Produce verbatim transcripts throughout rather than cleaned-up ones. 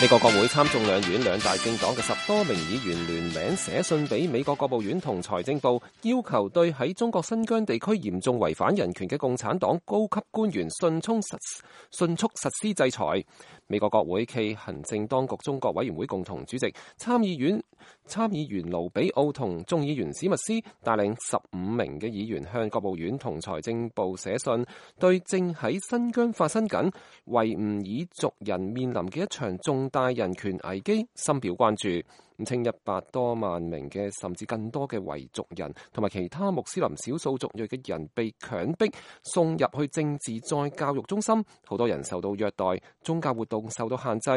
美國國會參眾兩院兩大政黨嘅十多名議員聯名寫信俾美國國務院同財政部，要求對喺中國新疆地區嚴重違反人權嘅共產黨高級官員迅速實迅速實施制裁。美國國會暨行政當局中國委員會共同主席參議院參議員盧比奧同眾議員史密斯帶領十五名嘅議員向國務院同財政部寫信，對正喺新疆發生緊維吾爾族人面臨嘅一場重大人權危機深表關注。咁稱一百多萬名嘅甚至更多嘅維族人同埋其他穆斯林少數族裔嘅人被強迫送入去政治再教育中心，好多人受到虐待，宗教活動受到限制。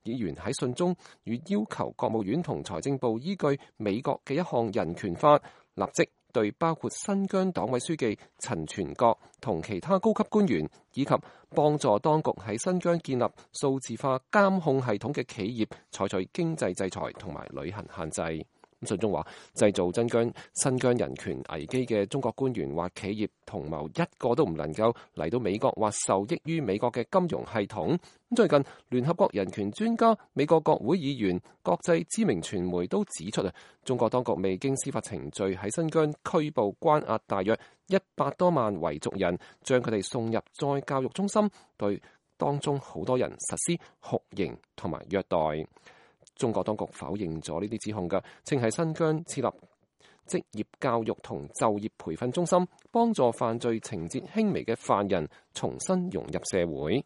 議員喺信中與要求國務院同財政部依據美國嘅一項人權法，立即對包括新疆黨委書記陳全國同其他高級官員，以及幫助當局喺新疆建立數字化監控系統嘅企業，採取經濟制裁同埋旅行限制。信中話，製造新疆新疆人權危機嘅中國官員或企業同謀一個都唔能夠嚟到美國或受益於美國嘅金融系統。最近聯合國人權專家、美國國會議員、國際知名傳媒都指出啊，中國當局未經司法程序喺新疆拘捕關押大約一百多萬維族人，將佢哋送入再教育中心，對當中好多人實施酷刑同埋虐待。中國當局否認咗呢啲指控嘅，稱喺新疆設立職業教育同就業培訓中心，幫助犯罪情節輕微嘅犯人重新融入社會。